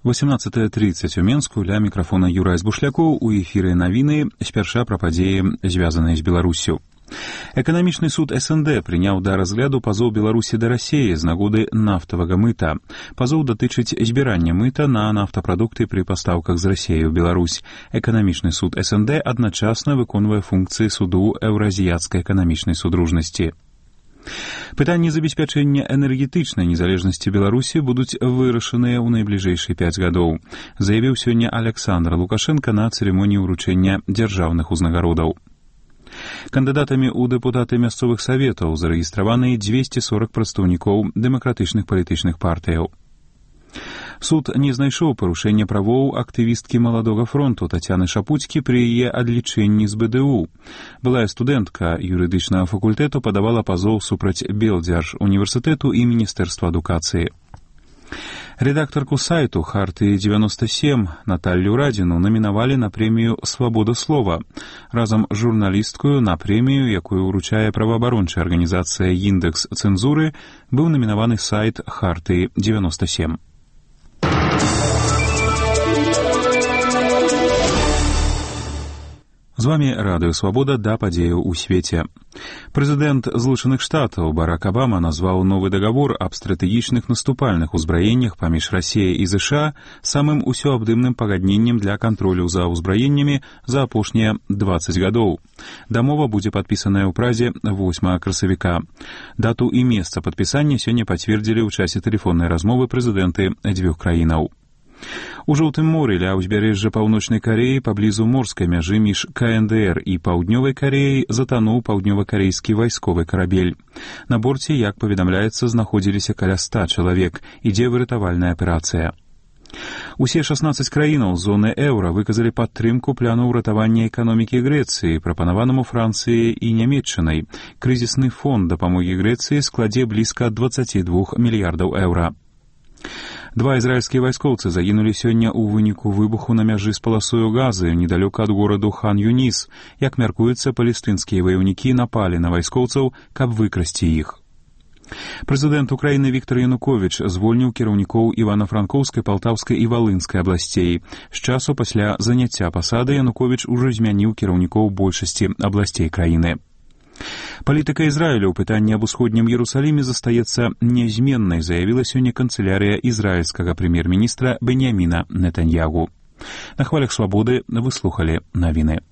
18:30 у Менску, ля мікрафона Юрай Збушлякоў, у эфіры навіны, спярша пра падзеі, звязаныя з Беларуссю. Эканамічны суд СНД прыняў да разгляду пазоў Беларусі да Расіі з нагоды нафтавага мыта. Пазоў датычыць збірання мыта на нафтапрадукты пры пастаўках з Расіі ў Беларусь. Эканамічны суд СНД адначасна выконвае функцыі суду Еўразіяцкай эканамічнай судружнасці. Пытанні забеспячэння энергетычнай незалежнасці Беларусі будуць вырашаныя ў найбліжэйшыя 5 гадоў, заявіў сёння Александр Лукашенко на цырымоніі ўручэння дзяржаўных узнагародаў. Кандыдатамі ў дэпутаты мясцовых саветаў зарэгістраваны 240 прадстаўнікоў дэмакратычных палітычных партыяў. Суд не знайшоў парушэння правоў актывісткі Маладога фронту Тацяны Шапуцькі пры яе адлічэнні з БДУ. Былая студэнтка юрыдычнага факультэту падавала пазоў супраць Белдзяржуніверсітэту і Міністэрства адукацыі. Рэдактарку сайту «Харты-97» Наталью Радзіну намінавалі на прэмію «Свабода слова». Разам з журналісткою на прэмію, якую ўручае праваабарончая арганізацыя «Індекс цэнзуры», быў намінаваны сайт «Харты-97». З вами Радыё Свабода, да падзеяў у свеце. Прэзідэнт Злучаных Штатаў Барак Абама назваў новы дагавор аб стратэгічных наступальных узбраеннях паміж Расіяй і ЗША самым усёабдымным пагадненнем для кантролю за ўзбраеннямі за апошнія 20 гадоў. Дамова будзе падпісаная ў Празе 8 красавіка. Дату і месца падпісання сёння пацвердзілі ў часе тэлефоннай размовы прэзідэнты дзвюх краінаў. У Жоўтым моры ля ўзбярэжжа Паўночнай Карэі паблізу морскай мяжы між КНДР і Паўднёвай Карэяй затануў паўднёва-карэйскі вайсковы карабель. На борце, як паведамляецца, знаходзіліся каля 100 чалавек. Ідзе выратавальная аперацыя. Усе 16 краінаў зоны еўра выказалі падтрымку плану ўратавання эканомікі Грэцыі, прапанаванаму Францыяй і Нямецчынай. Крызісны фонд дапамогі Грэцыі складзе блізка 22 мільярдаў еўра. 2 ізраільскія вайскоўцы загінулі сёння ў выніку выбуху на мяжы з паласою Газы недалёка ад гораду Хан-Юніс. Як мяркуецца, палестынскія ваяўнікі напалі на вайскоўцаў, каб выкрасці іх. Прэзідэнт Украіны Віктар Януковіч звольніў кіраўнікоў Івана-Франкоўскай, Палтаўскай і Валынскай абласцей. З часу пасля заняцця пасады Януковіч ужо змяніў кіраўнікоў большасці абласцей краіны. Палітыка Ізраіля ў пытанні аб усходнім Іерусаліме застаецца нязменнай, заявіла сёння канцылярыя ізраільскага прэм'ер-міністра Беньяміна Нетаньягу. На хвалях свабоды вы слухалі навіны.